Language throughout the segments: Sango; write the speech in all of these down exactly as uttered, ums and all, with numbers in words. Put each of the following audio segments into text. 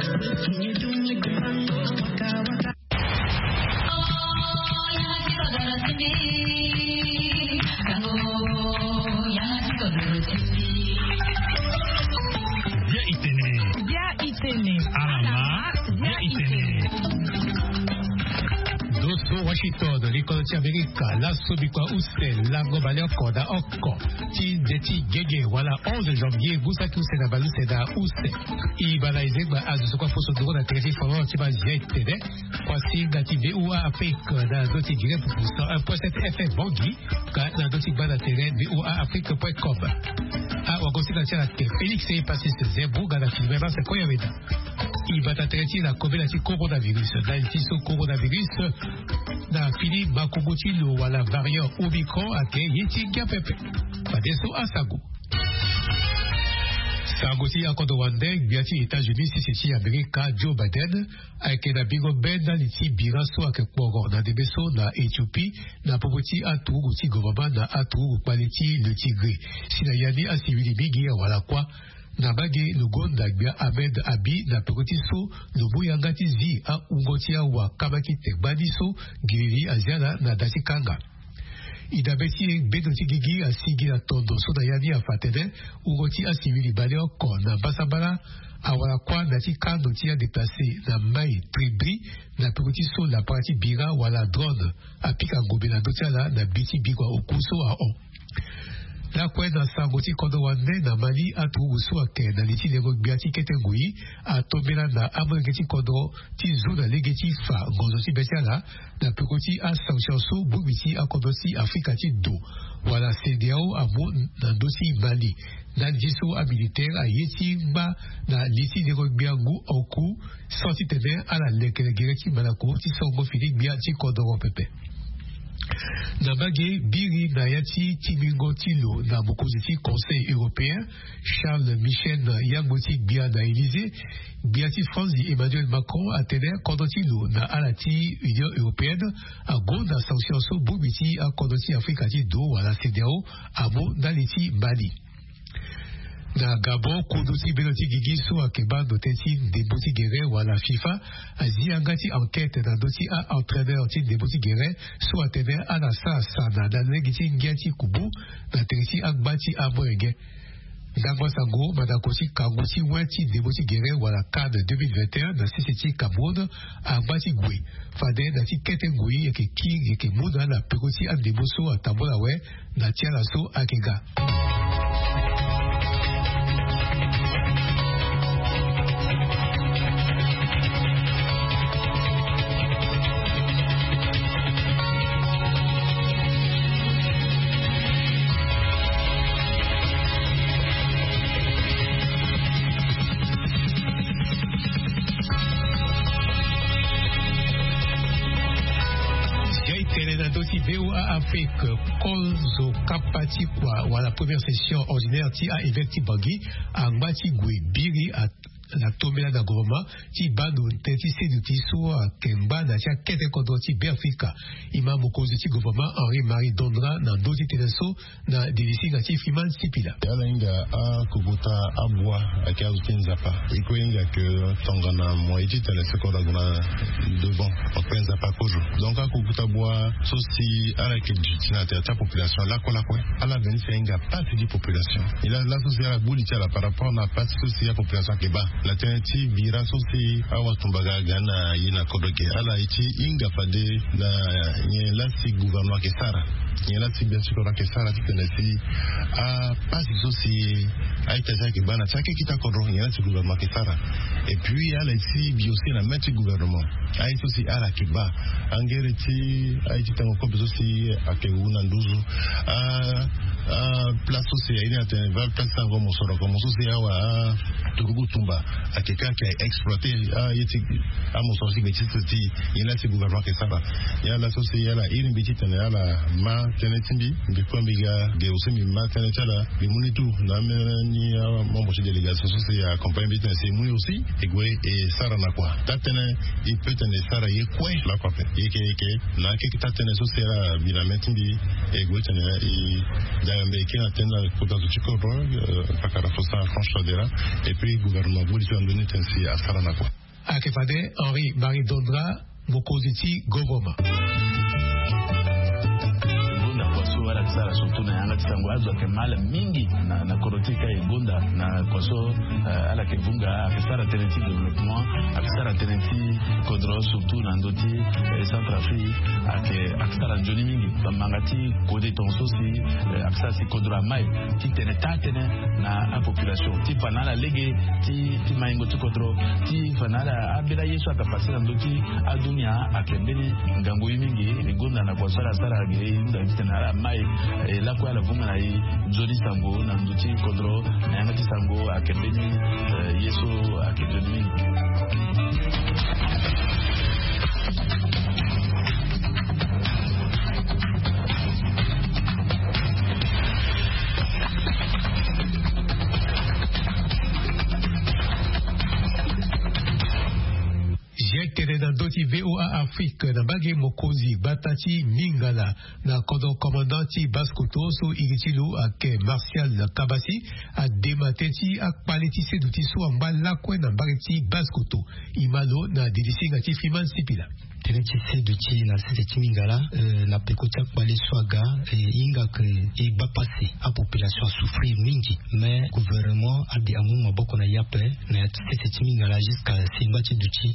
Bia itene. Bia itene. Alama. Bia itene. Doso Washington, likolo ti Amerika, laso bikua use lango baleoko na oko ti nze ti gege wala onze janvier, ngu saki use na baleuse na use. E baa na e zegba azo so kue aposo nduru na tere ti folon ti mazia etene. Kuasinga ti VOA Afrique na ndö ti Guinée Pupu cent un point sept F M Bangui, ka na ndö ti gba na tere V O A Afrique point com. Awagosinga ti ala ake Félix Epasis Zembourg na Fulgence Koyaweda. E bata tere ti na kobela ti coronavirus. Na li ti so coronavirus na fini makongo ti lo wala variant Omicron ake ye ti ngia pepe. Fadeso asango. Sango ti akodro wande, gbia ti États-Unis sese ti Amerika, Joe Biden, ayeke na bingo be ndali ti bira so ayeke kporo na ndembe so na Éthiopie, na popo ti aturugu ti gouvernement na aturugu kpale ti le Tigré. Si na ya ni asivili mingi awara kuâ. Na mbage lo gonda gbia Ahmed Abi na peko ti so lo mu yanga ti zi ahungo ti awa kama ti te gbani so ngiriri azia na na da ti kanga. E dabe ti e, bendo ti gigi asigi na tondo so na ya ni afa atene hungo ti asivili baleoko na mbasambala awara kuâ na ya ti kando ti adéplacé na mai tribri na peko ti so lapara ti bira wala drone apika ngombe na ndö ti ala na bi ti bikua oku so ahon. Lakue na sango ti kodro wande, na Mali aturugu so ayeke na li ti lengo gbia ti kete ngoi atombela na amolenge ti kodro ti zu na lege ti fa ngonzo ti be ti ala na peko ti asanction so bongbi ti akodro ti Afrika ti do wala CEDEAO amu na ndö ti Mali. Ndali ti so amilitaire aye ti ngba na li ti lengo gbia ngu oku, so titene ala lekere gere ti malako ti songo fini gbia ti kodoro pepe. Na mbage biri na ya ti tingbingo ti lo na mokonzi ti Conseil européen, Charles Michel, na yangbo ti gbia na Élysée, gbia ti France Emmanuel Macron atene kodro ti lo na ala ti Union européenne agonda sanction so bongbi ti akodro ti Afrika ti do wala CEDEAO amu ndali ti Mali. Na Gabon, kundu ti bendo ti gigi so ayeke baa ndo tënë ti ndembo ti gere wala FIFA azi yanga ti enquête na ndö ti a-entraîneur ti ndembo ti gere so atene ala sara sana na lege ti ngia ti kubu na tere ti angba ti amolenge. Ndangba sango, mandako ti kangu ti we ti ndembo ti gere wala CAN deux mille vingt et un na sese ti Cameroun angba ti gue. Fade na ti kete ngoi yeke kiri yeke mu na ala peko ti andembo so atambola awe na ti ala so ayeke ga. Zia e tene na ndö ti VOA Afrique, kozo kapa ti kua wala première session ordinaire ti a-évêque ti Bangui angba ti gue biri a na tombela na gouvernement ti baa ndo tënë ti seduti so ayeke ngba na ti akete kodro ti Beafrika. E ma mokonzi ti gouvernement Henri Marie Dondra na ndö ti tënë so na dilisinga ti Freeman Sipila. Ala hinga akokota abua ayeke azo ti Nzapa. E kue hinga ke tongana mo ye ti tene seko na gue na devant, mo kue Nzapa kozo. Donc akokota abua so si ala yeke duti na tere ti apopulation lakue lakue. Ala veni si ahinga pasi ti population. E la laso si ala gbu li ti ala par rapport na pasi so si apopulation ayeke baa na tënë ti bira so si awatumba ga aga ni na ye na kodro ge. Ala ye ti hinga fade na nyen laa si gouvernement ayeke sara. Nyen laa si bien sûr kodro ayeke sara titene si apasi so si a-ita ti ala ayeke baa na ti akekita kodro, nyen laa si gouvernement ayeke sara. Et puis ala ye ti bi aussi na main ti gouvernement. Aye so si ala yeke baa, angere ti aye ti tengo kobe so si ayeke wu na nduzu. A, a place so si aye ni atene va place ti sango mosoro, komo so si awa aturugu tumba ayeke ka ayeke exploiter aye ti amosoro ti gbe ti sese ti. Nyen laa si gouvernement ayeke sara. Ya laso si ala iri mbi titene ala ma tënë ti mbi, mbi kue mbi ga ge aussi mbi ma tënë ti ala. Mbi mu ni tout na ameni amembre ti délégation so si accompagne mbi titene si e mu ni aussi e gue e sara na kua. Taa tënë e peut tene e sara ye kue lakue ape. E yeke, e yeke na akeke taa tënë so si ala bi na main ti mbi. E gue tene e dayambe e kiri na tënë na kota zo ti kodro, euh, fakara fo sara franche fadera. Et puis Gouvernement boli so ando ni ten si asara na kua. Ayeke fade Henri Marie Dondra, mokonzi ti govoroma. Gonda kua so ala yeke sara surtout na yanga ti sango azo ayeke mal mingi na kodro ti e ka e gonda na kua so. Ala yeke vunga ayeke sara tënë ti développement, ayeke sara tënë ti kodro surtout na ndö ti Centrafrique. Ayeke sara nzoni mingi bamanga ti kode tonga so si ayeke sara si kodro amai ti tene taa tënë na apopulation ti fa na ala lege ti maingo ti kodro ti fa na ala ambeni aye so ayeke pase na ndö ti adunia. Ayeke mbeni ngangu ye mingi. E gonda na kua so ala sara gi e hunda ti tene ala mai e lakue ala vunga na e nzoni sango na ndö ti kodro na yanga ti sango ayeke mbeni ye so ayeke nzoni mingi. Jek tene na ndö ti VOA Afrique na mbage mokonzi gbata ti mingala na kodro commandant ti Basse-Kotto so iri ti lo ayeke Martial Kabasi adema tënë ti akpale ti seduti so angba lakue na mbage ti Basse-Kotto. E ma lo na didi singa ti Freeman Sipila. Tënë ti seduti na sese ti mingala na peko ti akpale so aga e hinga ke e gba pasi. Apopulation asouffrir mingi. Mais gouvernement ade amu maboko na e ape na ya ti sese ti mingala jusqu'à si ngba ti duti.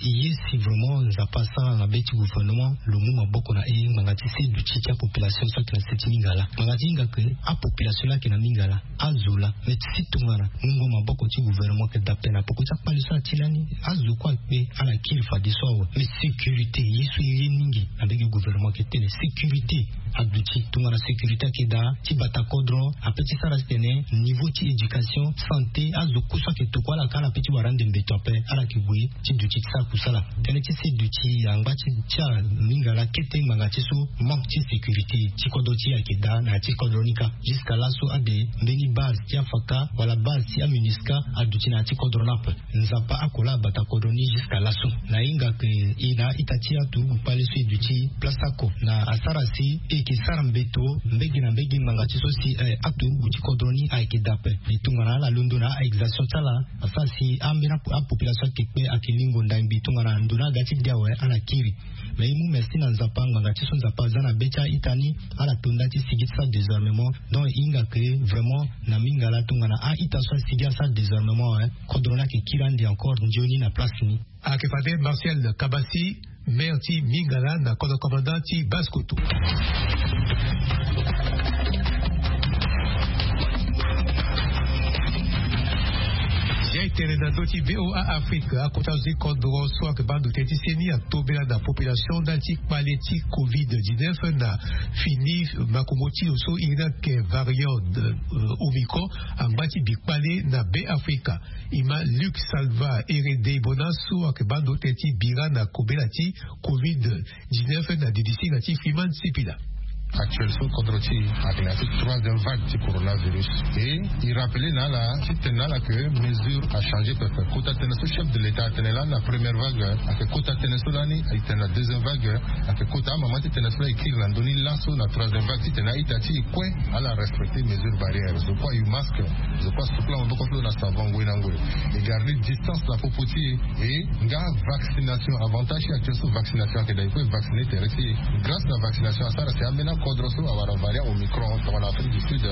E ye si vraiment Nzapa asara na be ti gouvernement lo mu maboko na e ngbanga ti seduti ti apopulation so ayeke na sese ti mingala. Ngbanga ti hinga ke apopulation laa ayeke na mingala azo laa mais ti si tongana mungo maboko ti gouvernement ayeke daa ape na peko ti akpale so ala ti lani. Azo kue akpe ala kiri fadeso awe mais sécurité ye so e ye mingi na mbege gouvernement ayeke tene sécurité aduti tongana sécurité ayeke daa ti bata kodro ape ti sara titene niveau ti éducation santé azo kue so ayeke tokua ala ka ala pe ti wara ande mbeto ape ala yeke gue ti duti ti sara kusala. Tënë ti seduti angba ti ti amingala kete ngbanga ti so manque ti sécurité ti kodro ti e ayeke daa na ya ti kodro ni kâ. Jusqu'à laso ade mbeni base ti afaka wala base ti aMINUSCA aduti na ya ti kodro ni ape. Nzapa ako laa abata kodro ni jusqu'à laso. Na hinga ke e na a-ita ti aturugu kpale so e duti place oko na asara si e yeke sara mbeto mbege na mbege ngbanga ti so si aturugu ti kodro ni ayeke daa ape. E tongana ala londo na a-exercition ti ala asara si ambeni apopulation ayeke kpe ayeke lingo ndangbi tongana ndo ni aga ti de awe ala kiri. Mais e mu merci na Nzapa ngbanga ti so Nzapa aza na be ti a-ita ni. Ala to nda ti sigi ti sara désarmement. Donc e hinga ke vraiment na mingala tongana a-ita so asigi asara désarmement awe kodro ni ayeke kiri ande encore nzoni na place ni. Ayeke fade Martial Kabasi, maire ti mingala na kodro commandant ti Basse-Kotto. Zia e tene na ndö ti VOA Afrique akota zo ti kodro so ayeke baa ndo tënë ti seni atobela na population ndali ti kpale ti covid dix-neuf na fini makongo ti lo so iri ni ayeke variant Omicron angba ti bi kpale na Be Afrika. E ma Luc Salva Herede Bona so ayeke baa ndo tënë ti bira na kobela ti covid dix-neuf na didi singa ti Freeman Sipila. Actuel so kodro ti e ayeke na ya ti troisième vague ti coronavirus. E e rappele na ala ti tene na ala ke mesure achangé pepe. Kota tënë so chef de l'état atene lani na première vague ayeke kota tënë so lani e tene na deuxième vague. Ayeke kota amama ti tënë so lani e kiri na ndö ni laso na troisième vague titene a-ita ti e kue ala respecter mesure barrière. Zo kue ayu masque. Zo kue asukula maboko ti lo na savon ngoi na ngoi. E garder distance na popo ti e. E nga vaccination avantage ti actuel so vaccination ayeke daa e kue e vacciner tere ti e. Grâce na vaccination asara si ambeni akodro so awara variant Omicron tongana Afrique du Sud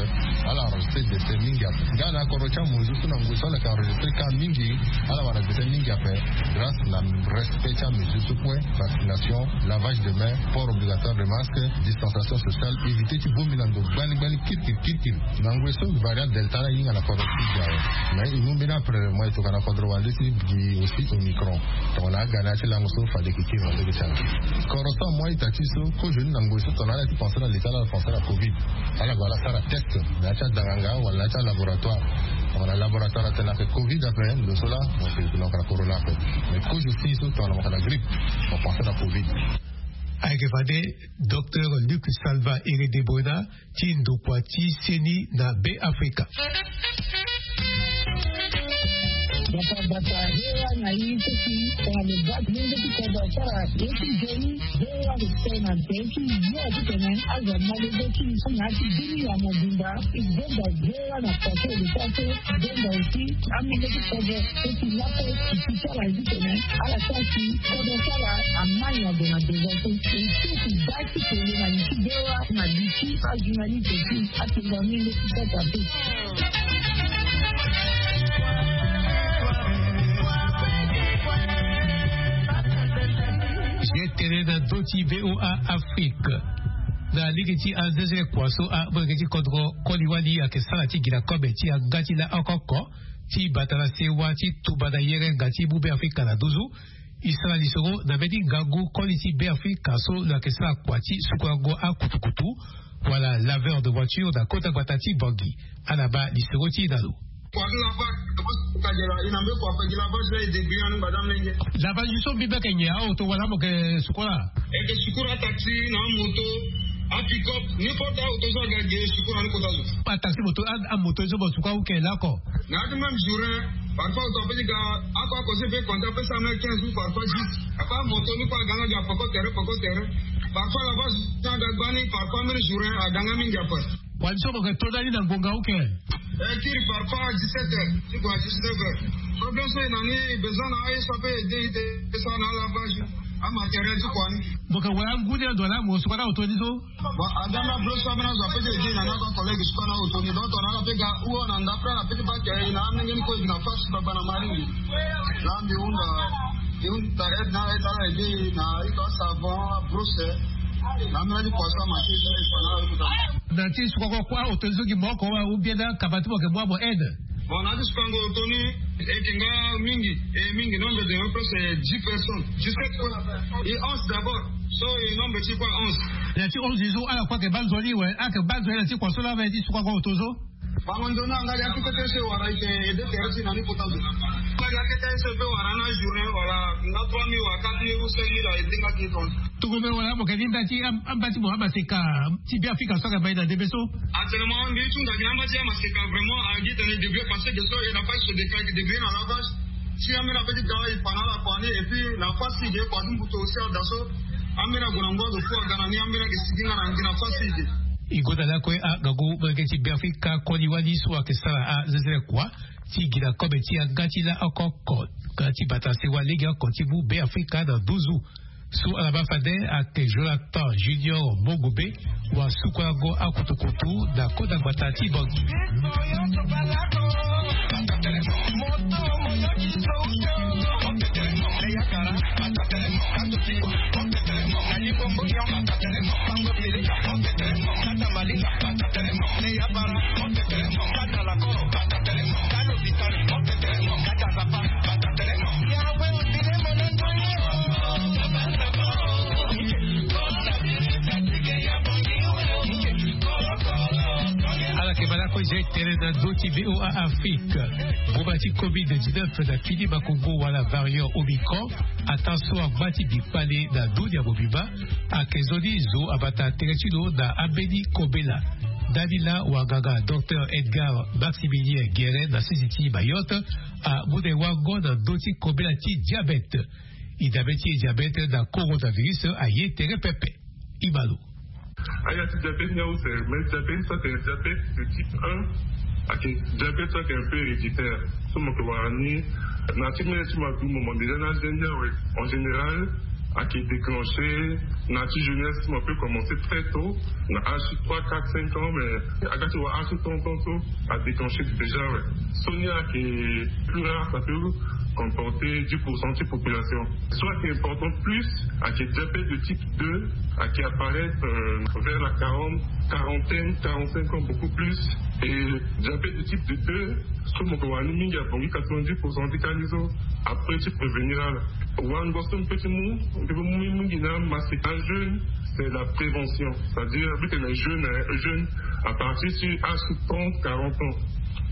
ala enregistrer décès mingi ape. Nga na akodro ti amonzu so na ngoi so ala yeke enregistrer cas mingi ala wara décès mingi ape. Grâce na respect ti amesure so kue, vaccination, lavage de main, port obligatoire de masque, distanciation sociale, éviter ti bongbi na ndo gbani gbani kirikiri kirikiri. Na ngoi so variant delta ala hinga na kodro ti e awe. Mais e mu mbeni après moi e tokua na kodro wande si gi aussi Omicron. Tongana aga na ya ti lango so fade e yeke kiri na ndege ti ala. Kodro so amu a-ita ti e so kozo ni na ngoi so tongana ala ti pensé na l'état ala pensé na covid. Ala gue ala sara test na ya ti adanganga wala na ya ti alaboratoire. Tongana laboratoire atene ayeke covid ape ndo so laa mo yeke yeke na yeke na corona ape. Mais kozo si so tongana mo yeke na grippe mo pensé na covid. Ayeke fade Docteur Luc Salva Herede Bona ti ndokua ti seni na Be Afrika. Bata bata hewa na i seki tongana lo bati lenge ti kodro sara ye ti joni. Hewa lo tene na tene ti yo ti tene azo na lenge ti so na ya ti bini ya mobimba. I gbenda hewa na paso lo paso gbenda aussi. Amenge ti kodro seki lape i ti sara ye ti tene ala sara si kodro sara amani ague na devant so. I seki bati tene na li ti hewa na li ti ajournaliste ti atengo amenge ti sata pe. Ye tene na ndö ti VOA Afrique. Na lege ti anzezele kua so amolenge ti kodro koli wali ayeke sara ti gi na kobe ti yanga ti laoko oko ti bata na sewa ti tumba na yerenga ti mu Be Afrika na nduzu. I sara lisoro na mbeni ngangu koli ti Be Afrika so lo yeke sara kua ti sukulango akutukutu wala laveur de voiture na kota gbata ti Bangui. Ala baa lisoro ti e na lo. Kua ti lavage, kagela i na mbe kua fagi lavage la e débrouiller ni gbada menge. Lavage so mbi mbe yeke nyen, aoto wala mo yeke sukula? E yeke sukula ataxi na amoto, apick-up, n'importe aoto so aga ge sukula ni kota zo. Ataxi, moto, a- amoto so mo sukula ou yeke lako? Na ya ti même jour, hein, parfois oto ape ti ga, ako ako so e pe compter ape cent mille, quinze ou parfois dix. Ape amoto ni kue aga nga ga poko tere poko tere. Parfois lavage ti aga gbani, parfois même jour, hein, aga nga mingi ape. Wali so mo yeke to ndani na ngonga ou yeke? Eh, kiri parfois dix-sept heures ti gue na dix-neuf heures. Problème so e na ni, besoin na aye so ape ede i te, e sara na alavage, amatériel ti kua ni. Mo yeke wara ngu ni ando wala mo sukula na oto ni so? Bon, aga na blo so ambeni azo ape ti ede i na ni, ako collègue sukula na oto ni, donc tongana ala pe ga ou na ndapre ala pe ti bake i na amenge ni kue e gi na fasi gbagba na maringi. Laa mbi hunda, mbi hunda aide na ala, e ti ala ede i na ito asavon, abrousse. Na ambeni ti kua so amake ti e fa na ala. Na ti sukango kua oto ni so gi moko wa ou bien na kaba ti mo yeke mu amo aide? Bon, na ti sukango oto ni e yeke nga mingi, e mingi, nombre de mo presque dix personnes, dix-sept quoi. E onze d'abord, so e nombre ti kua onze. Na ti onze ni so ala kue ayeke baa nzoni we, ayeke baa nzoni na ti kua so laa ve ti sukango oto so. Bango nzoni anga ya ti kete so e wara e yeke ede tere ti na ni kota zo. Anga ya kete so e pe wara na journée wala na trois mille wala quatre mille ou cinq mille a ede nga ti ton. Tongombe wala mo yeke ni nda ti am- amba ti mo amaseka ti Be Afrika so ayeke mai na ndembe so? Actuellement mbi ti hunda gi na amba ti amaseka vraiment agi tene débrouiller parce que so e na fasi so deka e yeke débrouiller na lavage. Si ambeni ape ti ga e fa na ala kua ni et puis na fasi e ge kua ti mbuto aussi ada so. Ambeni ague na ngu azo fou aga na ni, ambeni ayeke sigi nga na ngi na fasi e ge. E gonda lakue angangu molenge ti Be Afrika koli wali so ayeke sara azezele kua ti gi na kobe ti yanga ti laoko oko nga ti bata sewa lege oko ti mu Be Afrika na nduzu. So ala baa fade ayeke Jonathan Junior Mongombe, wasukulango akutukutu na kota gbata ti Bangui. Ala yeke baa lakue zia e tere na ndö ti VOA Afrique. Boma ti covid dix-neuf na fini makongo wala variant Omicron, ataa so angba ti bikpale na dunia mobimba, ayeke nzoni zo abata tere ti lo na ambeni kobela. Ndani laa wanganga docteur Edgar Maximilien Guérin na sese ti Mayotte amu na e wango na ndö ti kobela ti diabète. E dabe ti e diabète na coronavirus aye tere pepe. E ma lo. Aya ti diabète ni ause, mais diabète so ayeke diabète de type un, ayeke diabète so ayeke un peu héréditaire. So mo yeke wara ni na ti mene ti mo agu mo mo déjà na age ni awe. En général ayeke déclenché na ti jeunesse, mo peut commencer très tôt, na âge trois, quatre, cinq ans, mais aga ti wara âge trente ans so a déclenché déjà, ouais. So ni ayeke plus rare, ça peut comporter dix pour cent de population. So ayeke important plus ayeke diabète de type deux, ayeke apparaître, euh, vers la quarante, quarantaine, quarante-cinq ans, beaucoup plus. Et diabète de type deux, so mo yeke wara ni mingi abongi quatre-vingt-dix pour cent ti ka ni so. Après ti prévenir ala. Wango so mbi peut ti mu, mbi peut mu mingi na maseka jeûne, c'est la prévention. C'est-à-dire mbi tene jeûne, hein, jeûne à partir ti âge trente, quarante ans.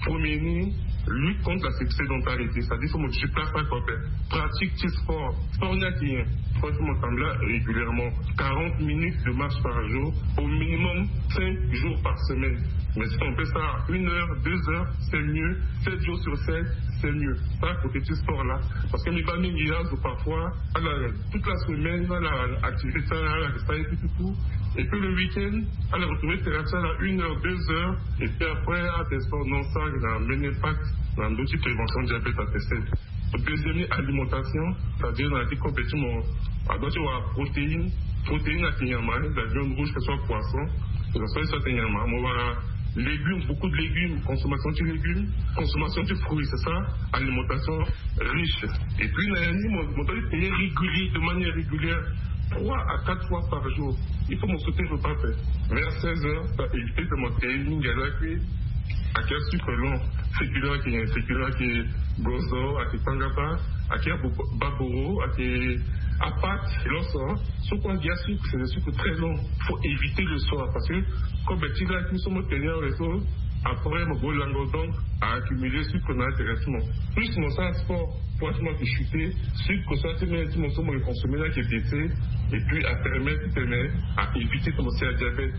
Premier ni, lutte contre la sédentarité, c'est-à-dire faut mo déplacer sa corps, pratique ti sport. Sport ni ayeke nyen? Sport faut mo tambula régulièrement, quarante minutes de marche par jour, au minimum cinq jours par semaine. Mais si on fait ça une heure, deux heures, c'est mieux. Sept jours sur sept, C'est mieux. Pas à côté du sport là. Parce que les familles, il y a parfois, alors, toute la semaine, voilà, activité ça, là, ça et tout, tout, tout. Et puis le week-end, alors, retrouver terrain ça là, une heure, deux heures. Et puis après, à tes sports, non, ça, il a un impact dans l'outil prévention diabète à tester. Deuxième alimentation, c'est-à-dire dans la vie compétition, à droite, tu vois, protéines, protéines à Kinyama, la viande rouge, que ce soit poisson, que ce soit ça, Kinyama, on va légumes, beaucoup de légumes, consommation de légumes, consommation de fruits, c'est ça, alimentation riche. Et puis, il y a un mon, mon payer régulier, de manière régulière, trois à quatre fois par jour. Il faut me sauter, je ne veux pas faire. Vers seize heures, ça évite de monter une galère qui a quel sucre long, féculent qui est féculent qui est gozo, à qui pangapa, à qui baboro, à qui apat, l'osso, ce qu'on dit à sucre, c'est des sucres très longs. Il faut éviter le soir parce que, comme tu l'as dit, nous sommes tenus au réseau, après, mon beau lango, donc, à accumuler sucre dans l'intéressement. Plus mon sang sport, pour moi qui chuter, sucre, ça, c'est même, mon sang, mon consommer là qui est baissé, et puis à permettre, à éviter de commencer à diabète.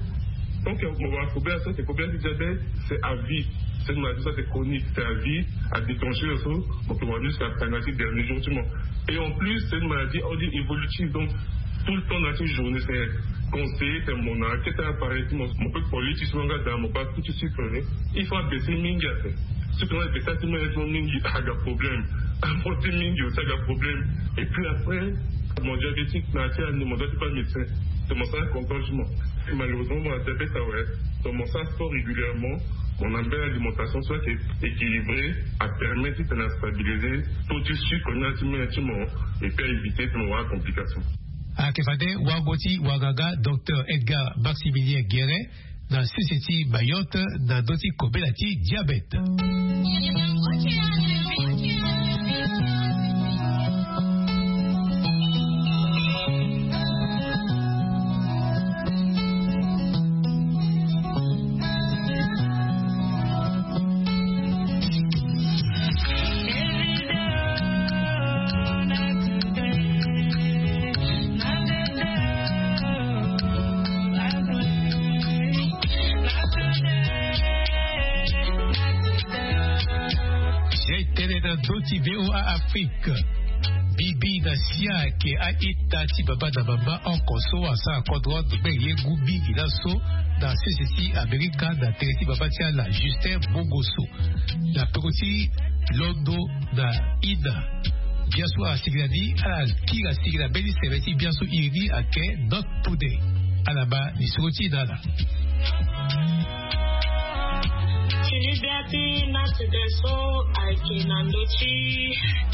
Donc, mon va combien ça, c'est combien de diabète, c'est à vie. C'est une maladie, ça, c'est chronique, c'est à vie, à déclencher le saut, donc on va jusqu'à la dernier jour du monde. Et en plus, c'est une maladie, on dit, évolutive, donc tout le temps dans une journée, c'est conseillé, c'est mon enquête à apparaître, mon, mon peu de politique, mon gars, dans mon pas tout de suite, il faut abaisser mingi. Ce qu'on a abaissé, c'est mon mingi, a problème. Apporter mingi, ça a problème. Et puis après, mon diabétique, mais à mon diabète, pas médecin. C'est mon sang contrôle, je m'en. Malheureusement, mon diabète, ah ouais. Donc, mon sang sport régulièrement, mon ambiance alimentation soit équilibrée, à permettre de stabiliser tout de suite qu'on a et puis à éviter de avoir complications. Ayeke fade wago ti wagaga docteur Edgar Maximilien Guérin na sese ti Mayotte na ndö ti kobela ti diabète. Zia e tene na ndö ti VOA Afrique. Bibi na sia ayeke a-ita ti baba na mama oko so asara kodro ndokbeni ye ngu mingi laso na sese ti Amerika na tere ti baba ti ala Justin Bongoso. Na peko ti londo na ina. Biaso asigi na ni ala kiri asigi na mbeni seve ti biaso iri ni ayeke Not Today. Ala baa lisoro ti ina ala. Fini bia ti Not Today so ayeke na ndö ti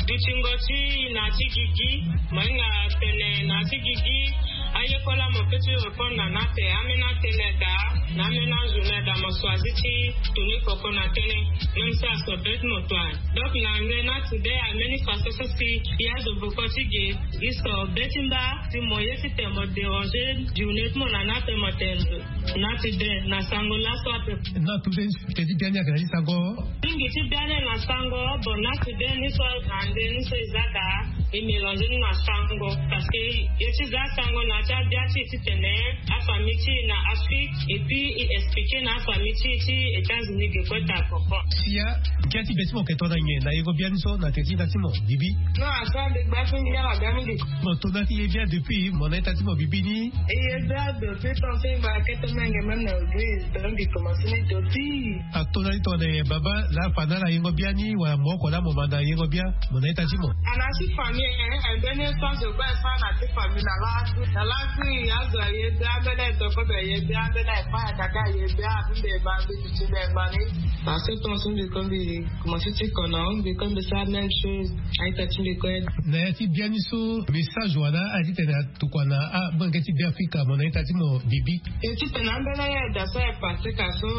dutingo ti na ti gigi. Mo hinga tene na ti gigi. Aye kola mo pe ti répondre na na te, amena tene daa na amena journée daa mo choisi ti tuni koko na tënë. Même si aso be ti mo toi. Donc na nge Not Today ambeni façon so si ya zo boko ti ge. Gi so be ti mba si mo ye ti tene mo déranger journée ti mo na na te mo tene zo. Not Today na sango laso ape. Not Today. Teti biani ayeke na ti sango. Mingi ti biani na sango. Bon, Not Today ni so na nde ni so e za daa e mélanger ni na sango. Parce que ye ti za sango na ya ti abia ti e ti tene afamille ti e na Afrique. Et puis e expliquer na afamille ti e ti États-Unis ge kue ta koko. Sia. Ngia ti be ti mo yeke tongana nyen na yengo bia ni so na teti na ti mo Bibi? Non, aso ade gba ti ngia na bia mingi. Mo tongana ti ye bia depuis mo na ita ti mo Bibi ni? E ye bia depuis tant que e ba kete menge même na église. Donc e commencer ni depuis. Ato na ni tongana nyen baba laa fa na ala yengo bia ni wala mo oko laa mo manda yengo bia mo na ita ti mo? Ana ti famille, eh, mbeni so azo kue asara na ti famille na laa. Na laa ti azo aye bia ambeni azo kue aye bia ambeni aye kue akaka aye bia abimbe ba mbi ti ti mbi angba ni. Parce que ton so mbi kue mbi commencer ti kono mbi kue mbi sara même chose. A-ita ti mbi kue. Na ya ti bia ni so message wala ala ti tene tokua na amolenge ti Beafrika mo na ita ti mo Bibi? E ti tene ambeni aye daa so aye Patrika so.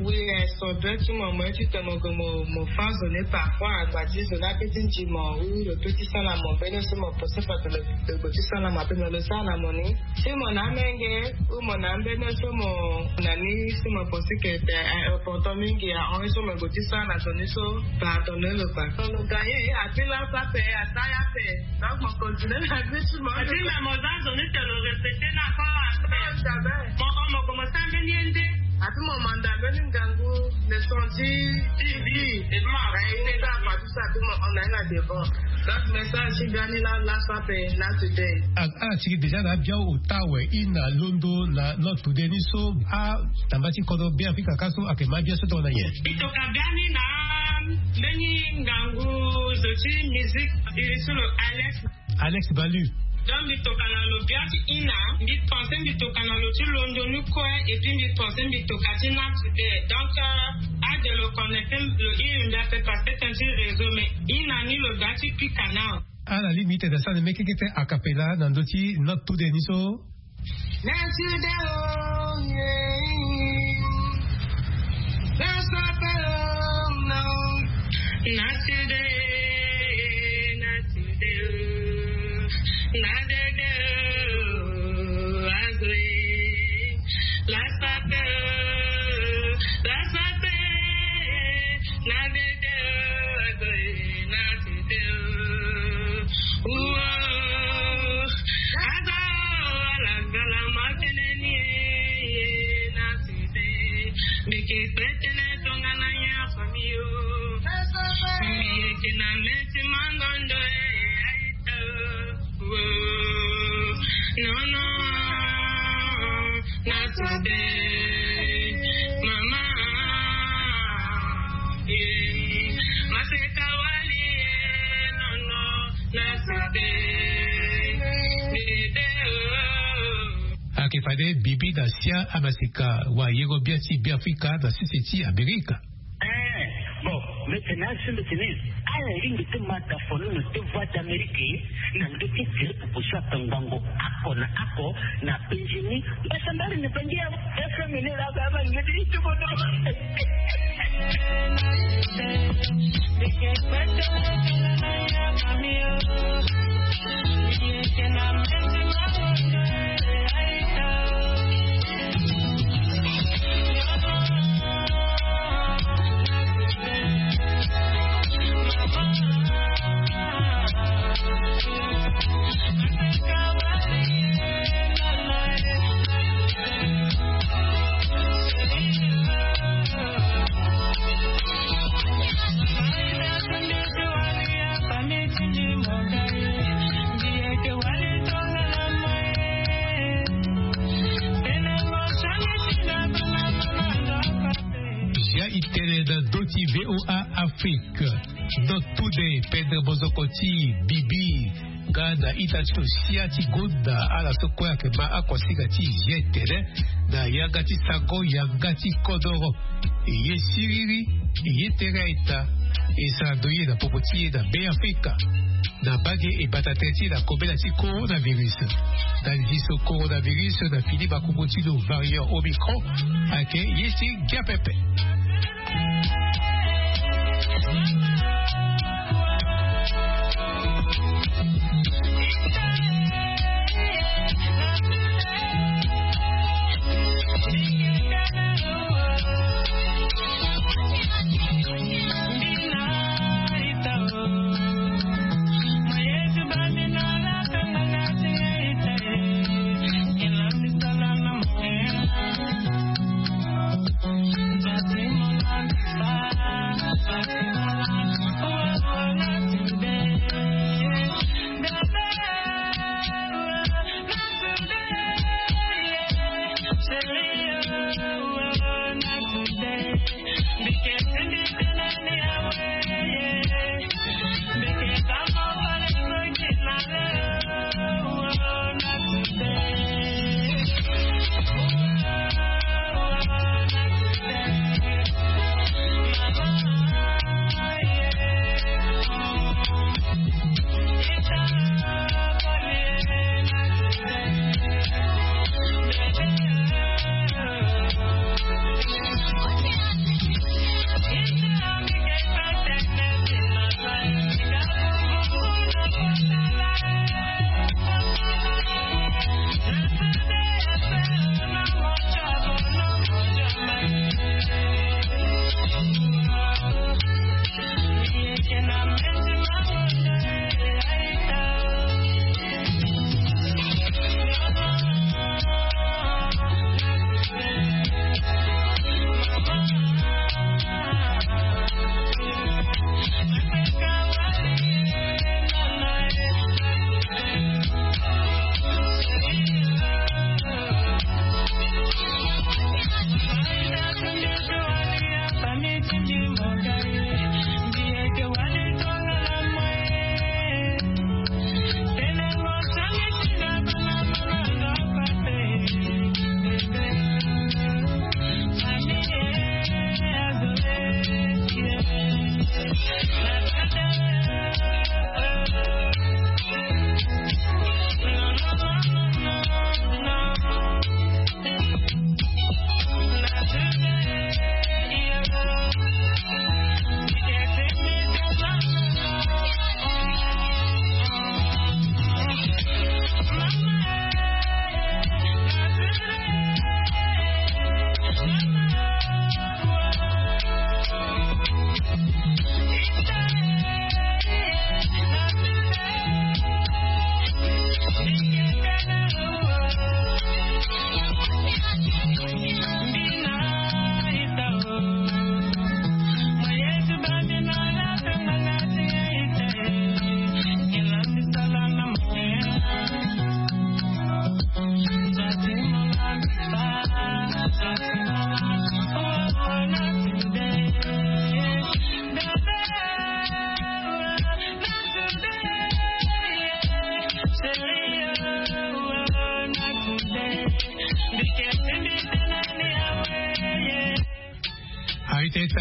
Oui, aye so be ti mo mo ye ti tene mo gue mo mo fa zo ni parfois agba ti zo ni ape ti nzi mo. Oui, lo pe ti sara na mo mbeni so mo pose fa tene lo gue ti sara na mo ape me lo sara na mo ni. Si mo na amenge ou mo na ambeni so mo na ni si mo pose ke te aimportant mingi ahon ye so mo gue ti sara na zo ni so. Pardonner lo kua. Lo gagne api laso ape asara ye ape. Donc mo continue na vie ti mo. Ati na mo za zo ni te lo respecter na kua. Mo mo commencer ambeni ye nde. Ati mo manda ambeni ngangu. Senti, ti vi, na ye ni ka partout ça, tout le monde, on est là devant. Donc message ti biani la, la sape na today. Ala tiki déjà na abia ota awe ina londo na not today ni so. Atamba ti kodro Beafrika ka so ayeke ma abia so tongana nyen? Mbi toka biani na mbeni ngangu zo ti musique iri so lo Alex. Alex Balu. Donc mbi toka na lo bia ti ina, mbi pense mbi toka na lo ti londo ni kue, et puis mbi pense mbi toka ti na today. Donc ade lo connecte lo iri mbi ape parce que tënë ti réseau, mais ina ni lo bia ti pika nao. Ala li mbi tene asara na mekekete a cappella na ndö ti not today ni so. Na today o, yeah. Na sape o, no. Na today, na today o. Na today o, azo e. La sape o, la sape. Na today o, azo e, na today o. Uo, azo, ala ngala ma tënë ni e, na today. Mbi yeke kpe tënë tongana nyen famille o. Mbi yeke na mê ti mangondo e, aita o. Uo, non, non, na today. Mama, yeah. Maseka wali e, non, non, na today. Bébé o. Ayeke fade bibi na sia amaseka wayengo bia ti Beafrika na sese ti Amerika. Eh, bon, mbi tene asi mbi tene ala lingbi ti ma tafono na deux voix d'Amérique na ndö ti tere pupu so atangbango oko na oko na penzi ni. Mbasambari na penzi ya F M ni la ba ba ngedi ti bono. Zia itene na ndö ti V O A Afrique. Not today, pendre mozoko ti bibi. Nga na ita ti lo sia ti gonda ala so kue ayeke ma akonsiga ti zia itene na yanga ti sango yanga ti kodoro. E ye siriri, e ye tere aita. E sara ndo ye na popo ti e na Beafrika. Na mbage e bata tënë ti e na kobela ti coronavirus. Na liso coronavirus na fini makongo ti lo variant Omicron ayeke ye ti gia pepe.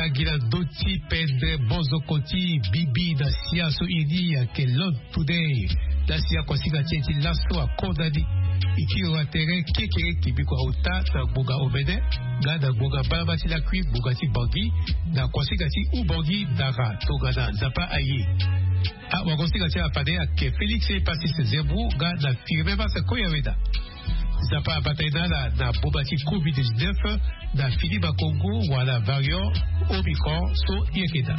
Agila doti pendre bonzo koti bibi na sia so ini ake lon tudei. Na sia kosinga ti eti laso akondani. Itiro atere kekere kibiko auta na gbonga omene nga na gbonga mbalama ti lakui gbonga ti bangi na kosinga ti ubangi dara tongana nzapa aye. Awagosinga ti afade ake félix epasis zebro nga na firme masa koyaweda. Nzapa abata ye na ala na boma ti covid-19 na fini bakongo wala variant omicron so yekeda.